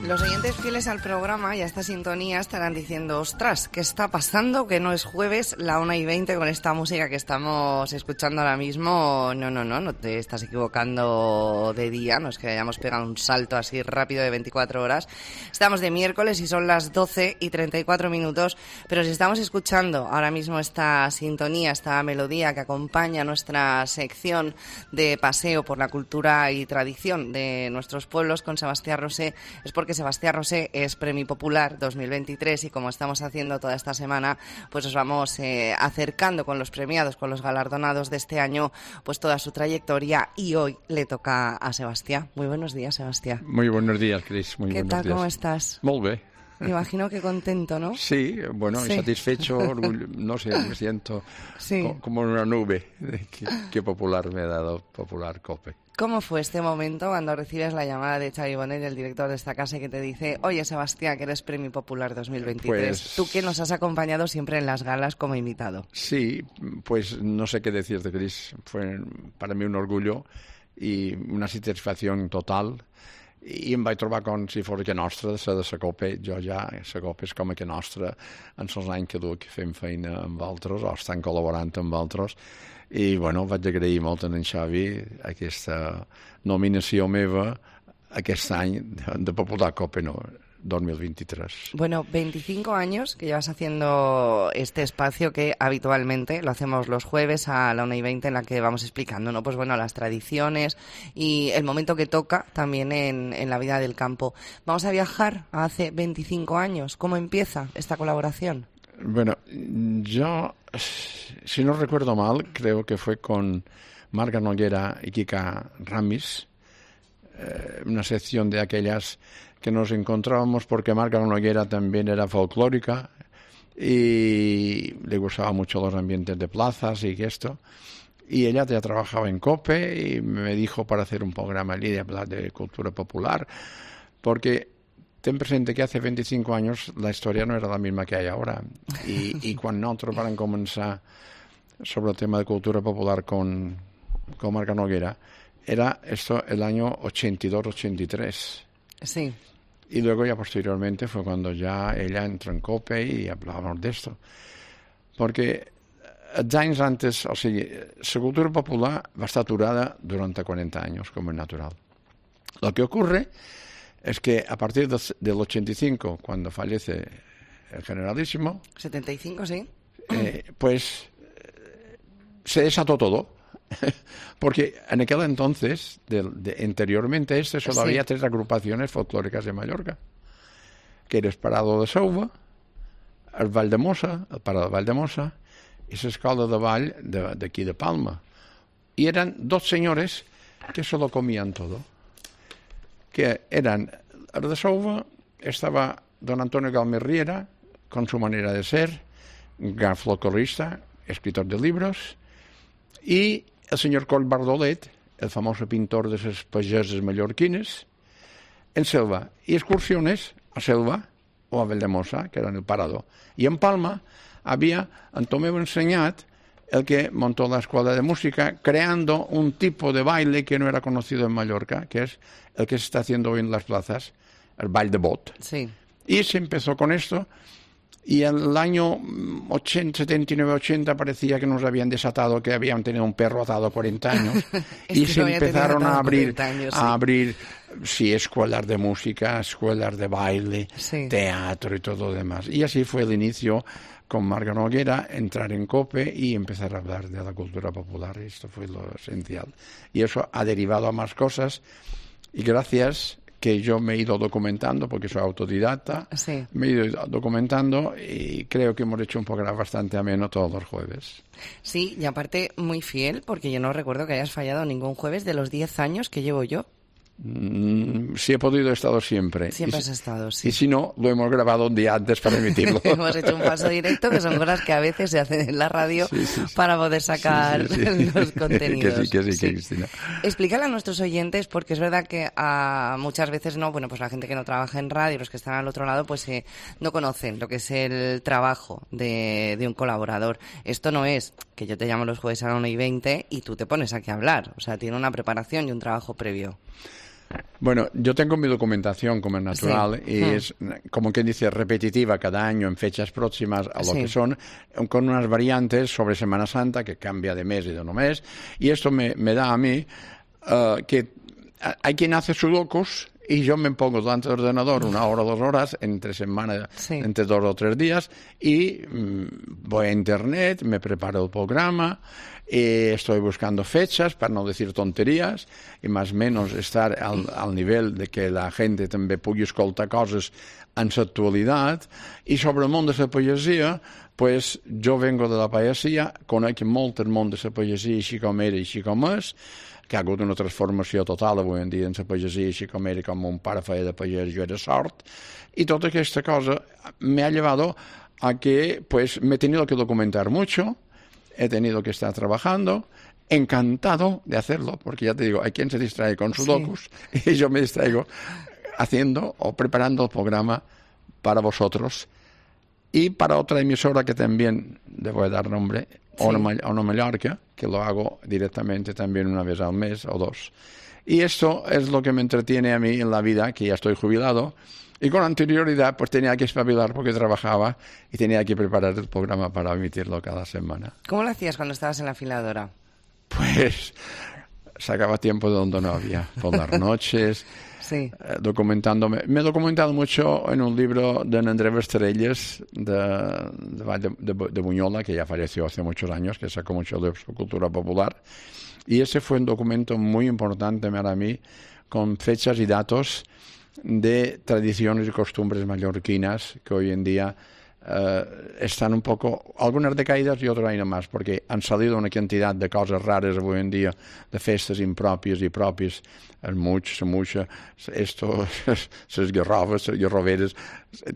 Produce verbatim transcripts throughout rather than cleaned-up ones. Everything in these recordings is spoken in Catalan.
Los oyentes fieles al programa y a esta sintonía estarán diciendo, ostras, ¿qué está pasando? Que no es jueves, la una y veinte con esta música que estamos escuchando ahora mismo. No, no, no, no te estás equivocando de día, no es que hayamos pegado un salto así rápido de veinticuatro horas. Estamos de miércoles y son las doce y treinta y cuatro minutos, pero si estamos escuchando ahora mismo esta sintonía, esta melodía que acompaña nuestra sección de paseo por la cultura y tradición de nuestros pueblos con Sebastián Rosé, es porque que Sebastián Rosé es Premio Popular dos mil veintitrés y como estamos haciendo toda esta semana, pues os vamos eh, acercando con los premiados, con los galardonados de este año, pues toda su trayectoria, y hoy le toca a Sebastián. Muy buenos días, Sebastián. Muy buenos días, Cris. Muy ¿Qué buenos tal? días. ¿Cómo estás? Molt bé. Me imagino que contento, ¿no? Sí, bueno, Sí. satisfecho, orgullo, no sé, me siento Sí. co- como en una nube. Qué, qué popular me ha dado Popular Cope. ¿Cómo fue este momento cuando recibes la llamada de Xavi Bonet, el director de esta casa, que te dice, oye, Sebastián, que eres Premio Popular dos mil veintitrés? Pues- Tú que nos has acompañado siempre en las galas como invitado. Sí, pues no sé qué decirte, Cris. Fue para mí un orgullo i una satisfacció total. I em vaig trobar com si fos que nostra, de ser de la Copa. Jo ja, la Copa és com que nostra en els anys que duc fent feina amb altres o estan col·laborant amb altres. I, bueno, vaig agrair molt a en Xavi aquesta nominació meva aquest any de, de Popular Copa no, dos mil veintitrés. Bueno, veinticinco años que llevas haciendo este espacio que habitualmente lo hacemos los jueves a la una y veinte, en la que vamos explicando, ¿no? Pues bueno, las tradiciones y el momento que toca también en, en la vida del campo. Vamos a viajar a hace veinticinco años. ¿Cómo empieza esta colaboración? Bueno, yo, si no recuerdo mal, creo que fue con Marga Noguera y Kika Ramis, eh, una sección de aquellas que nos encontrábamos porque Marga Noguera también era folclórica y le gustaba mucho los ambientes de plazas y esto. Y ella ya trabajaba en COPE y me dijo para hacer un programa allí de hablar de cultura popular, porque ten presente que hace veinticinco años la historia no era la misma que hay ahora. Y, y quan nosaltres vam començar sobre el tema de cultura popular con, con Marga Noguera, era esto el año ochenta y dos ochenta y tres. Sí. Y luego ya posteriormente fue cuando ya ella entró en COPE y hablábamos de esto. Porque els anys antes, o sigui, la cultura popular va estar aturada durante cuarenta años, como es natural. Lo que ocurre es que a partir de, del ochenta y cinco, cuando fallece el generalísimo, setenta y cinco, sí. eh, pues se desató todo. Porque en aquel entonces, de, de, anteriormente a este, solo Sí. había tres agrupaciones folclóricas de Mallorca, que era el Parado de Sauva, el Vall de Mossa, el Parado de Vall de Mossa, y la escola de Vall de, de aquí de Palma. Y eran dos señores que se lo comían todo. Que eran, el de Sauva estaba don Antonio Galmer Riera, con su manera de ser, gran folclorista, escritor de libros, y el señor Coll Bardolet, el famoso pintor de esas pageses mallorquines, en Selva, y excursiones a Selva o a Valdemossa, que era en el Parado. Y en Palma había Antomeu Enseñat, el que montó la escuela de música, creando un tipo de baile que no era conocido en Mallorca, que es el que se está haciendo hoy en las plazas, el baile de bot. Sí. Y se empezó con esto, y en el año ochenta, setenta y nueve ochenta parecía que nos habían desatado, que habían tenido un perro atado cuarenta años, y que se lo había tenido empezaron a atado abrir, cuarenta años, sí. a abrir, sí, escuelas de música, escuelas de baile, Sí. teatro y todo lo demás. Y así fue el inicio con Marga Noguera, entrar en COPE y empezar a hablar de la cultura popular. Esto fue lo esencial. Y eso ha derivado a más cosas, y gracias que yo me he ido documentando, porque soy autodidacta, Sí. me he ido documentando y creo que hemos hecho un programa bastante ameno todos los jueves. Sí, y aparte muy fiel, porque yo no recuerdo que hayas fallado ningún jueves de los diez años que llevo yo. Mm, si he podido, he estado siempre. Siempre y, has estado, sí. Y si no, lo hemos grabado un día antes para emitirlo. Hemos hecho un paso directo, que son cosas que a veces se hacen en la radio Sí, sí, sí. para poder sacar Sí, sí, sí. los contenidos. Que sí, que sí, que Cristina. Explícale a nuestros oyentes, porque es verdad que a muchas veces no, bueno, pues la gente que no trabaja en radio, los que están al otro lado, pues eh, no conocen lo que es el trabajo de, de un colaborador. Esto no es que yo te llamo los jueves a la una y veinte y tú te pones aquí a hablar. O sea, tiene una preparación y un trabajo previo. Bueno, yo tengo mi documentación como es natural sí. y mm. es, como quien dice, repetitiva cada año en fechas próximas a lo sí. que son, con unas variantes sobre Semana Santa que cambia de mes y de no mes. Y esto me, me da a mí uh, que hay quien hace sudokus y yo me pongo delante del ordenador una hora o dos horas entre semana, sí. entre dos o tres días y mmm, voy a internet, me preparo el programa y estoy buscando fechas para no decir tonterías i més o menys estar al, al nivell de que la gent també pugui escoltar coses en l'actualitat. I sobre el món de la poesia, pues jo vengo de la poesia, conec molt el món de la poesia així com era i així com és, que ha hagut una transformació total avui en dia en la poesia, així com era, com mon pare feia de pagès, jo era sort, i tota aquesta cosa me ha llevado a que pues me he tenido que documentar mucho, he tenido que estar trabajando, encantado de hacerlo, porque ya te digo, hay quien se distrae con sudokus sí. y yo me distraigo haciendo o preparando el programa para vosotros y para otra emisora que también debo dar nombre, sí. Ono Mallorca, que lo hago directamente también una vez al mes o dos. Y esto es lo que me entretiene a mí en la vida, que ya estoy jubilado. Y con anterioridad pues tenía que espabilar porque trabajaba y tenía que preparar el programa para emitirlo cada semana. ¿Cómo lo hacías cuando estabas en la afiladora? Pues sacaba tiempo de donde no había, por las noches, sí. eh, documentándome. Me he documentado mucho en un libro de Andrés Estrellas de, de, de, de Buñola, que ya falleció hace muchos años, que sacó mucho de su cultura popular. Y ese fue un documento muy importante para mí, con fechas y datos de tradiciones y costumbres mallorquinas que hoy en día uh, están un poco, algunas decaídas y otras ahí nomás, porque han salido una cantidad de cosas raras hoy en día, de festes impropias y propias, el much, la mucha, esto, les garrofes, les garroveres,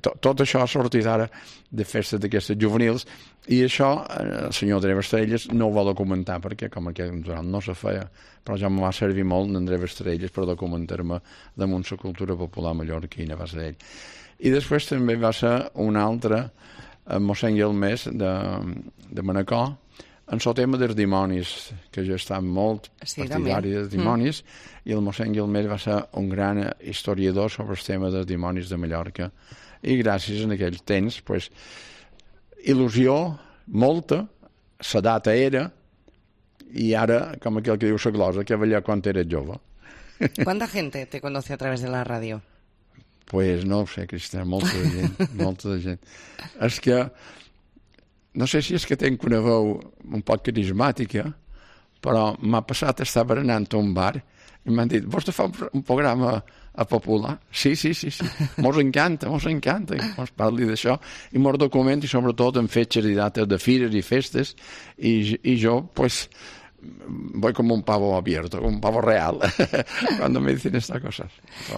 to, tot això ha sortit ara de festes d'aquestes juvenils, i això el senyor Andrés Estrellas no ho va documentar, perquè com que no se feia, però ja me va servir molt d'Andrés Estrellas per documentar-me damunt la cultura popular mallorquina, va ser ell. I després també va ser un altre, mossèn Guilmés, de, de Manacor, en el tema dels dimonis, que jo estava molt sí, partidari dels dimonis, mm. i el mossèn Guilmés va ser un gran historiador sobre el tema dels dimonis de Mallorca. I gràcies a aquell temps, pues, il·lusió molta, la data era, i ara, com aquell que diu la glosa, que veia quan era jove. ¿Cuánta gente te conoce a través de la radio? Pues no ho sé, Cristina, molta de gent, molta de gent. És que, no sé si és que tenc una veu un poc carismàtica, però m'ha passat estar berenant a un bar i m'han dit, vols de fer un programa a popular? Sí, sí, sí, sí. Mos encanta, mos encanta que mos parli d'això i mos documenti sobretot en fetges i dates de fires i festes i, i jo, pues, voy como un pavo abierto, como un pavo real, cuando me dicen estas cosas.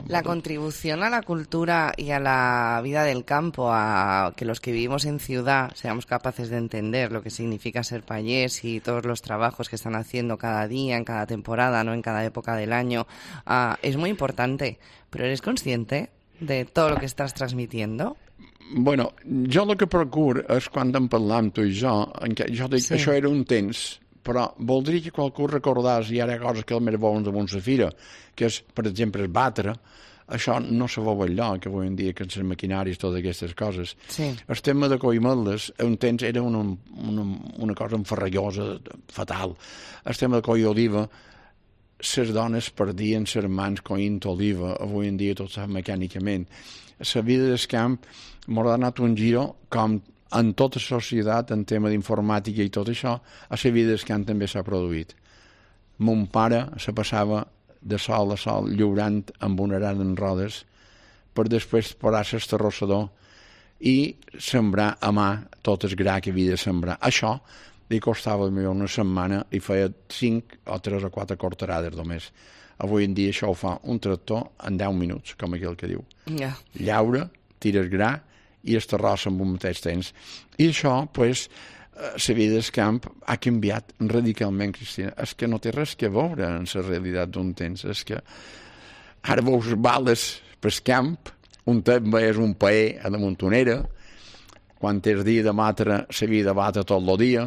La contribución a la cultura y a la vida del campo, a que los que vivimos en ciudad seamos capaces de entender lo que significa ser payés y todos los trabajos que están haciendo cada día, en cada temporada, no en cada época del año, uh, es muy importante. Pero ¿eres consciente de todo lo que estás transmitiendo? Bueno, jo el que procuro és quan en parlam tu i jo, en què jo dic que sí. Això era un temps, però voldria que qualcú recordés, i ara coses que el més veuen damunt la fira, que és, per exemple, el batre, això no se veu enlloc, avui en dia, que les maquinaris, totes aquestes coses. Sí. El tema de coimeles, un temps era una, una, una cosa enferrallosa, fatal. El tema de coi oliva, les dones perdien les mans coint oliva, avui en dia tot s'ha mecànicament. La vida del camp m'ha donat un giro com en tota la societat, en tema d'informàtica i tot això, a la vida del camp també s'ha produït. Mon pare se passava de sol a sol lliurant amb una arada en rodes per després posar-se el terrossador i sembrar a mà tot el gra que havia de sembrar. Això li costava una setmana i feia cinc o tres o quatre cortarades només. Avui en dia això ho fa un tractor en deu minuts, com aquell que diu. Yeah. Llaura, tires gra i es terrossa en un mateix temps. I això, pues, la vida del camp ha canviat radicalment, Cristina. És que no té res que veure en la realitat d'un temps. És que ara veus bales pel camp, un també és un paer a la montonera, quan és dia de matre s'havia de batre tot el dia,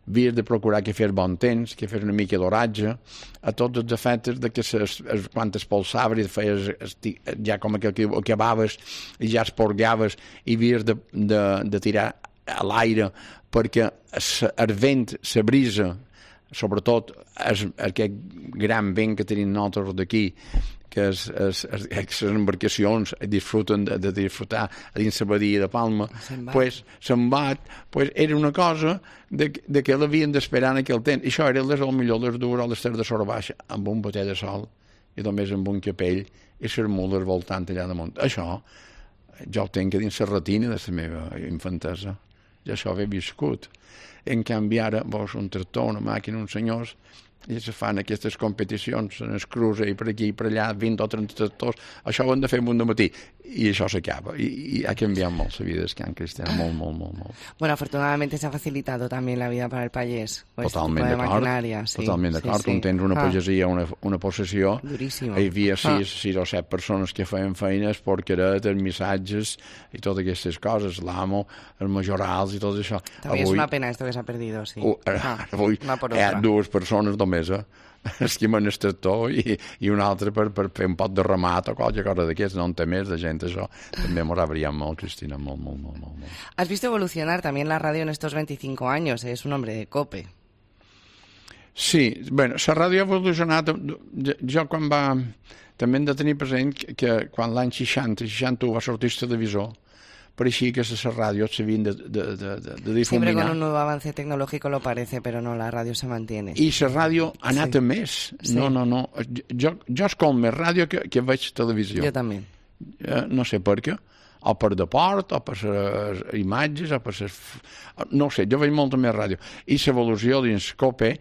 havies de procurar que fes bon temps, que fes una mica d'oratge, a tots els efectes de que ses, es, quan espolsaves i feies, esti, ja com que, que acabaves i ja esporgaves i havies de, de, de tirar a l'aire perquè el vent, la brisa, sobretot es, aquest gran vent que tenim nosaltres d'aquí, que és, és, és, les embarcacions disfruten de, de disfrutar a dins la badia de Palma, pues, se'n bat, pues, era una cosa de, de que l'havien d'esperar en aquell temps. I això era des del millor les dues o les tres de sort baixa, amb un botet de sol i només amb un capell i les mules voltant allà damunt. Això jo ho tinc dins la retina de la meva infantesa. Ja això ho he viscut. En canvi ara veus un tractor, una màquina, uns senyors i se fan aquestes competicions en el cruce i per aquí i per allà, vint o trenta tractors, això ho hem de fer un matí i això s'acaba, I, i ha canviat molt la vida d'Escan Cristià, molt, molt, molt, molt. Bueno, afortunadamente se ha facilitado también la vida para el payés. Totalment este d'acord, sí, totalment d'acord, sí, sí. Tu tens una ah. pagesia, una, una possessió, duríssima. Hi havia sis, ah. sis o set persones que feien feines, porqueretes, missatges i totes aquestes coses, l'amo, els majorals i tot això. També avui, és una pena esto que s'ha perdido, sí. Uh, ah, avui hi ha dues persones només, eh? esquimen el tractor i, i un altre per, per fer un pot de ramat o qualque cosa d'aquests, no en té més de gent, això també m'ho ha brillat molt, Cristina, molt, molt, molt, molt, molt. Has visto evolucionar también la radio en estos veinticinco años, es un hombre de COPE. Sí, bueno, la ràdio ha evolucionat, jo, jo quan va, també hem de tenir present que, que quan l'any seixanta, seixanta-u va sortir el televisor, pareixia que la ràdio s'havien de, de, de, de difuminar. Siempre con un nuevo avance tecnológico lo parece, pero no, la ràdio se mantiene. I la ràdio ha anat sí. a més. Sí. No, no, no. Jo, jo escolto més ràdio que, que veig televisió. Jo també. Eh, no sé per què. O per deport, o per les imatges, o per les... No sé, jo veig molta més ràdio. I l'evolució dins COPE,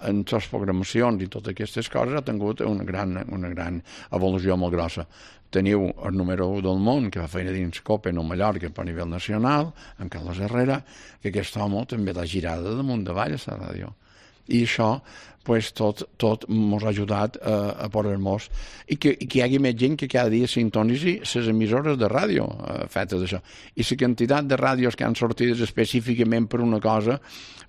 en les programacions i totes aquestes coses, ha tingut una gran, una gran evolució molt grossa. Teniu el número u del món, que fa feina dins COPE a Mallorca a nivell nacional, en Carlos Herrera, que aquest home també l'ha girada damunt davall a la ràdio. I això, pues, tot, tot mos ha ajudat a, a poder-nos... I que, i que hi hagi més gent que cada dia sintonitzi les emissores de ràdio eh, fetes d'això. I la quantitat de ràdios que han sortit específicament per una cosa,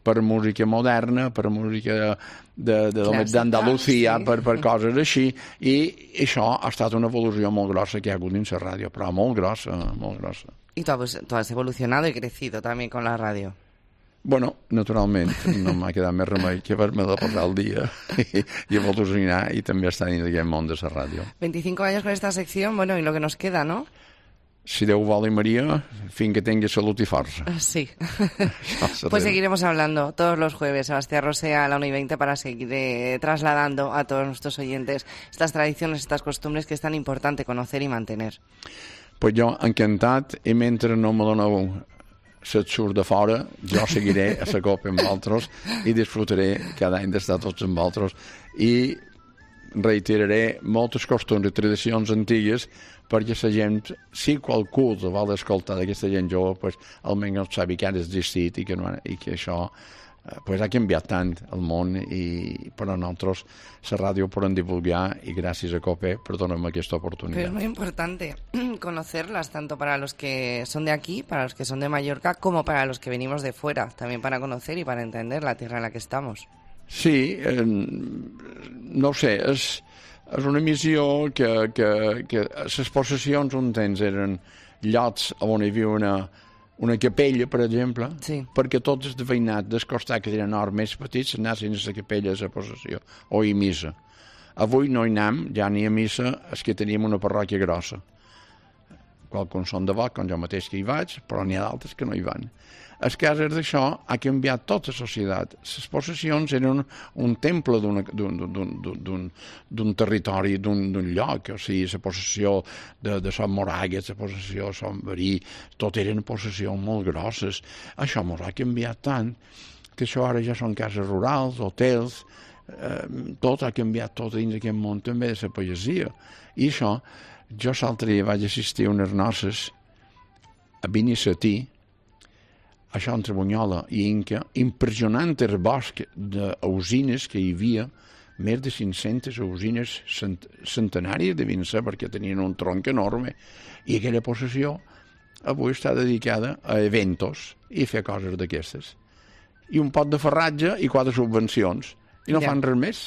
per música moderna, per música d'Andalusia, sí. per, per coses així, i això ha estat una evolució molt grossa que hi ha hagut dins la ràdio, però molt grossa, molt grossa. I tu, pues, tu has evolucionado y crecido también con la radio. Bueno, naturalment, no m'ha quedat més remei que haver-me de posar el dia i, i evolucionar i també estar en aquest món de la ràdio. veinticinco años con esta sección, bueno, y lo que nos queda, ¿no? Si Déu vol i Maria, fins que tingui salut i força. Sí. Pues seguiremos hablando todos los jueves, Sebastián Rosea a la una y veinte, para seguir eh, trasladando a todos nuestros oyentes estas tradiciones, estas costumbres que es tan importante conocer y mantener. Pues jo, encantat, i mentre no me doneu se't surt de fora, jo seguiré a la copa amb vosaltres i disfrutaré cada any d'estar tots amb vosaltres i reiteraré moltes costums i tradicions antigues perquè la gent, si qualcú vol escoltar d'aquesta gent jove, pues, almenys sabi que ha existit i que, no, i que això pues, ha canviat tant el món i per a nosaltres la ràdio podem divulgar y gracias a COPE por darme esta oportunidad. Pero es muy importante conocerlas, tanto para los que son de aquí, para los que son de Mallorca, como para los que venimos de fuera, también para conocer y para entender la tierra en la que estamos. Sí, eh, no ho sé, és, és una missió que, que, que les possessions un temps eren llocs on hi havia una una capella, per exemple, sí. perquè tots els veïnats del costat que tenen nord més petits anessin a la capella a la possessió o a missa. Avui no hi anem, ja ni a missa, és que teníem una parròquia grossa. Qualcuns són de vot, com jo mateix que hi vaig, però n'hi ha d'altres que no hi van. El cas és d'això, ha canviat tota la societat. Les possessions eren un temple d'un territori, d'un lloc, o sigui, la possessió de, de Sant Moragues, la possessió de Sant Verí, tot eren possessions molt grosses. Això ens ha canviat tant, que això ara ja són cases rurals, hotels, eh, tot ha canviat tot dins d'aquest món també de la pagesia. I això, jo l'altre dia vaig assistir a unes noces a Binisatí, això entre Bunyola i Inca, impressionant el bosc d'usines que hi havia, més de cinc-centes usines cent centenàries devien ser, perquè tenien un tronc enorme, i aquella possessió avui està dedicada a eventos i fer coses d'aquestes. i un pot de ferratge i quatre subvencions. I no Ya. fan res més.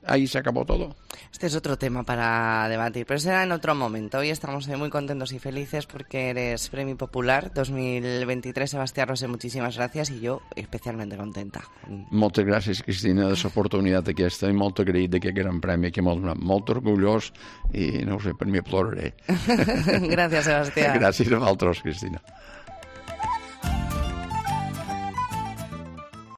Ahí se acabó todo. Este es otro tema para debatir, pero será en otro momento. Hoy estamos muy contentos y felices porque eres Premio Popular dos mil veintitrés. Sebastián Rosé, muchísimas gracias i jo especialment contenta. Moltes gràcies, Cristina, de l'oportunitat aquesta i molt agraït d'aquest gran premi que m'ha donat. Molt orgullós i, no ho sé, per mi ploraré. Gràcies, Sebastián. Gràcies a vosaltres, Cristina.